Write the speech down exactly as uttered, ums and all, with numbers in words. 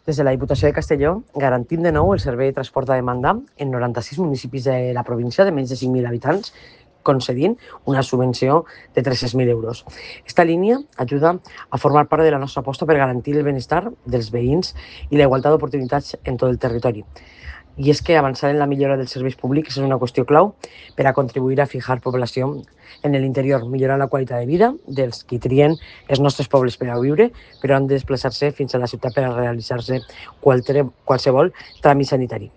Des de la Diputació de Castelló garantim de nou el servei de transport a demanda en noranta-sis municipis de la província de menys de cinc mil habitants, concedint una subvenció de tres-cents mil euros. Esta línia ajuda a formar part de la nostra aposta per garantir el benestar dels veïns i la igualtat d'oportunitats en tot el territori. I és que avançar en la millora dels serveis públics és una qüestió clau per a contribuir a fijar població en l'interior, millorar la qualitat de vida dels qui trien els nostres pobles per a viure, però han de desplaçar-se fins a la ciutat per a realitzar-se qualsevol tràmit sanitari.